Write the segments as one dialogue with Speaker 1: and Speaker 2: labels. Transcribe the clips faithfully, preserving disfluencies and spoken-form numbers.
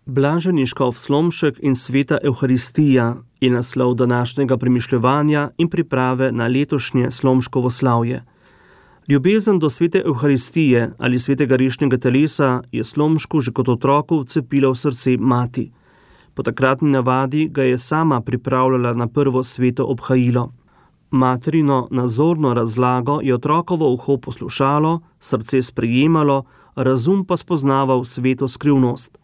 Speaker 1: Blaženi škof Slomšek in sveta Evharistija je naslov današnjega premišljevanja in priprave na letošnje Slomškovo slavje. Ljubezen do svete Evharistije ali svetega rešnjega telesa je Slomšku že kot otroku vcepila v srce mati. Po takratni navadi ga je sama pripravljala na prvo sveto obhajilo. Materino nazorno razlago je otrokovo uho poslušalo, srce sprejemalo, razum pa spoznaval sveto skrivnost.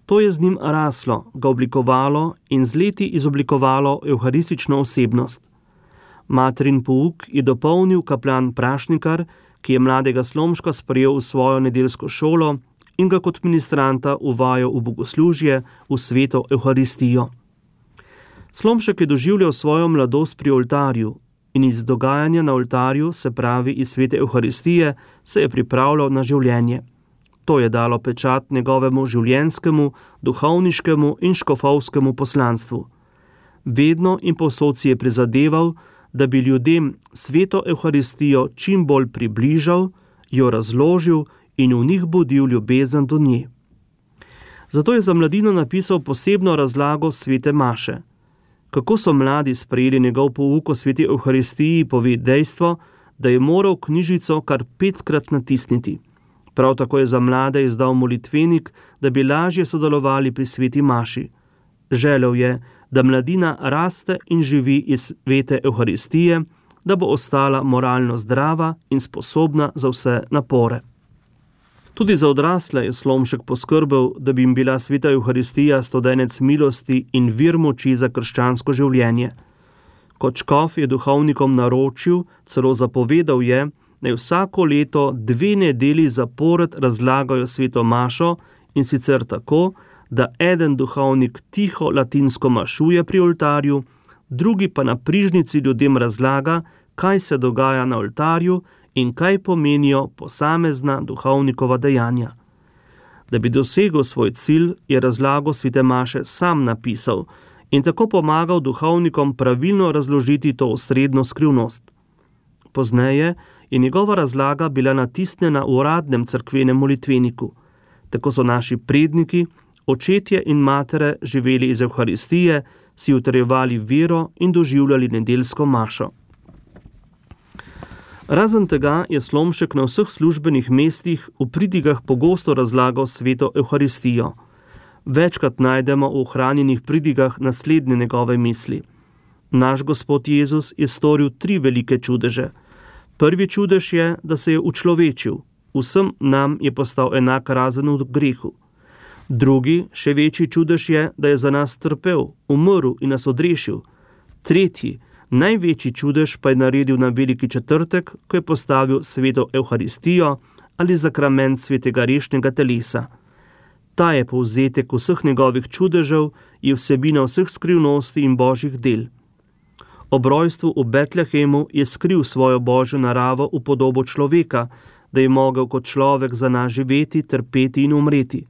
Speaker 1: To je z njim raslo, ga oblikovalo in z leti izoblikovalo evharistično osebnost. Materin pouk je dopolnil kaplan Prašnikar, ki je mladega Slomška sprejel v svojo nedeljsko šolo in ga kot ministranta uvajal v bogoslužje, v sveto Evharistijo. Slomšek je doživljal svojo mladost pri oltarju in iz dogajanja na oltarju, se pravi iz svete Evharistije, se je pripravljal na življenje. To je dalo pečat njegovemu življenjskemu, duhovniškemu in škofovskemu poslanstvu. Vedno in povsod si je prizadeval, da bi ljudem sveto Evharistijo čim bolj približal, jo razložil in v njih budil ljubezen do nje. Zato je za mladino napisal posebno razlago svete maše. Kako so mladi sprejeli njegov pouk o sveti Evharistiji, pove dejstvo, da je moral knjižico kar petkrat natisniti. Prav tako je za mlade izdal molitvenik, da bi lažje sodelovali pri sveti maši. Želel je, da mladina raste in živi iz svete Evharistije, da bo ostala moralno zdrava in sposobna za vse napore. Tudi za odrasle je Slomšek poskrbel, da bi jim bila sveta Evharistija stodenec milosti in vir moči za krščansko življenje. Kot škof je duhovnikom naročil, celo zapovedal je, naj vsako leto dve nedeli zapored razlagajo sveto mašo in sicer tako, da eden duhovnik tiho latinsko mašuje pri oltarju, drugi pa na prižnici ljudem razlaga, kaj se dogaja na oltarju in kaj pomenijo posamezna duhovnikova dejanja. Da bi dosegel svoj cilj, je razlago svete maše sam napisal in tako pomagal duhovnikom pravilno razložiti to osrednjo skrivnost. Pozneje je njegova razlaga bila natisnjena v uradnem cerkvenem molitveniku. Tako so naši predniki, očetje in matere živeli iz Evharistije, si utrjevali vero in doživljali nedeljsko mašo. Razen tega je Slomšek na vseh službenih mestih v pridigah pogosto razlagal sveto Evharistijo. Večkrat najdemo v ohranjenih pridigah naslednje njegove misli. Naš Gospod Jezus je storil tri velike čudeže. Prvi čudež je, da se je učlovečil. Vsem nam je postal enak razen v grehu. Drugi, še večji čudež je, da je za nas trpel, umrl in nas odrešil. Tretji, največji čudež pa je naredil na veliki četrtek, ko je postavil sveto Evharistijo ali zakrament svetega rešnjega telesa. Ta je povzetek vseh njegovih čudežev, je vsebina vseh skrivnosti in božjih del. Ob rojstvu v Betlehemu je skril svojo božjo naravo v podobo človeka, da je mogel kot človek za nas živeti, trpeti in umreti.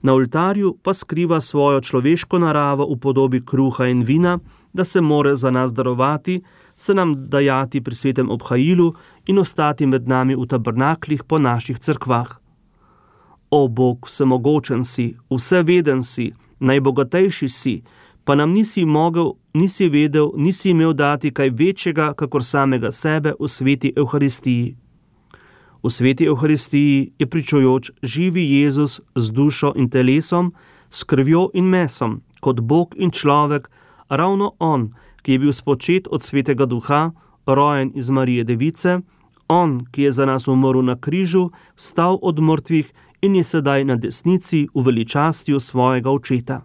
Speaker 1: Na oltarju pa skriva svojo človeško naravo v podobi kruha in vina, da se more za nas darovati, se nam dajati pri svetem obhajilu in ostati med nami v tabernaklih po naših cerkvah. O Bog, vsemogočen si, vseveden si, najbogatejši si, pa nam nisi mogel, nisi vedel, nisi imel dati kaj večjega, kakor samega sebe v sveti Evharistiji. V sveti Evharistiji je pričujoč živi Jezus z dušo in telesom, s krvjo in mesom, kot Bog in človek, ravno On, ki je bil spočet od svetega duha, rojen iz Marije Device, On, ki je za nas umrl na križu, vstal od mrtvih in je sedaj na desnici v veličastju svojega očeta.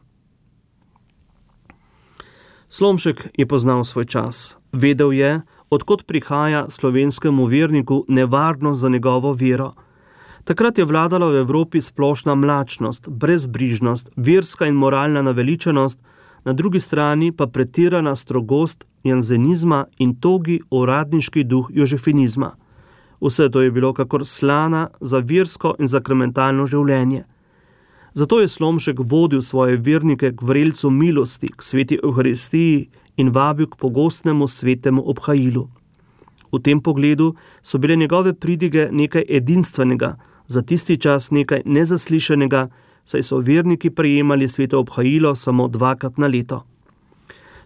Speaker 1: Slomšek je poznal svoj čas. Vedel je, odkot prihaja slovenskemu verniku nevarnost za njegovo vero. Takrat je vladala v Evropi splošna mlačnost, brezbrižnost, verska in moralna naveličanost, na drugi strani pa pretirana strogost janzenizma in togi uradniški duh jožefinizma. Vse to je bilo kakor slana za versko in sakramentalno življenje. Zato je Slomšek vodil svoje vernike k vrelcu milosti, k sveti Evharistiji in vabil k pogostnemu svetemu obhajilu. V tem pogledu so bile njegove pridige nekaj edinstvenega, za tisti čas nekaj nezaslišanega, saj so verniki prejemali sveto obhajilo samo dvakrat na leto.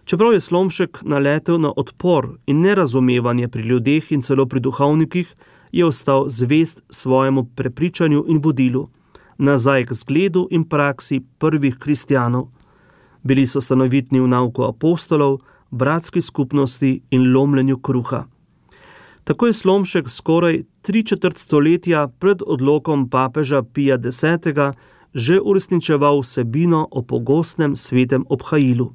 Speaker 1: Čeprav je Slomšek naletel na odpor in nerazumevanje pri ljudeh in celo pri duhovnikih, je ostal zvest svojemu prepričanju in vodilu, nazaj k zgledu in praksi prvih kristjanov. Bili so stanovitni v nauku apostolov, bratski skupnosti in lomljenju kruha. Tako je Slomšek skoraj tri četrt stoletja pred odlokom papeža Pija desetega že uresničeval vsebino o pogostnem svetem obhajilu.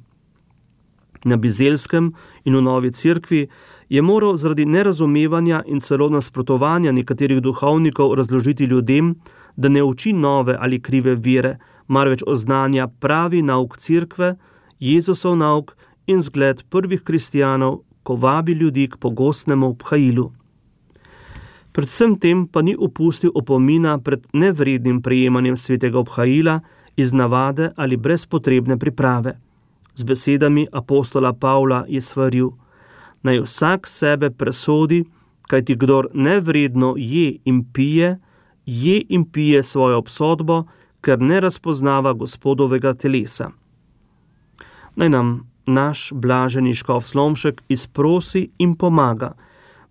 Speaker 1: Na Bizelskem in v Novi cerkvi je moral zaradi nerazumevanja in celo nasprotovanja nekaterih duhovnikov razložiti ljudem, da ne uči nove ali krive vere, marveč oznanja pravi nauk cerkve, Jezusov nauk in zgled prvih kristjanov, ko vabi ljudi k pogostnemu obhajilu. Predvsem tem pa ni upustil opomina pred nevrednim prejemanjem svetega obhajila iz navade ali brez potrebne priprave. Z besedami apostola Pavla je svaril: naj vsak sebe presodi, kajti kdor nevredno je in pije, je in pije svojo obsodbo, ker ne razpoznava Gospodovega telesa. Naj nam naš blaženi škof Slomšek izprosi in pomaga,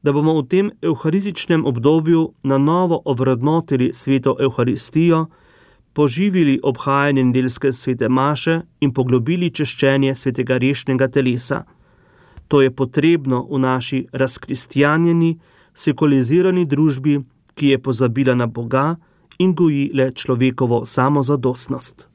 Speaker 1: da bomo v tem evharističnem obdobju na novo ovrednotili sveto evharistijo, poživili obhajanje nedeljske svete maše in poglobili češčenje svetega rešnega telesa. To je potrebno v naši razkristjanjeni, sekulizirani družbi, ki je pozabila na Boga in goji le človekovo samozadostnost.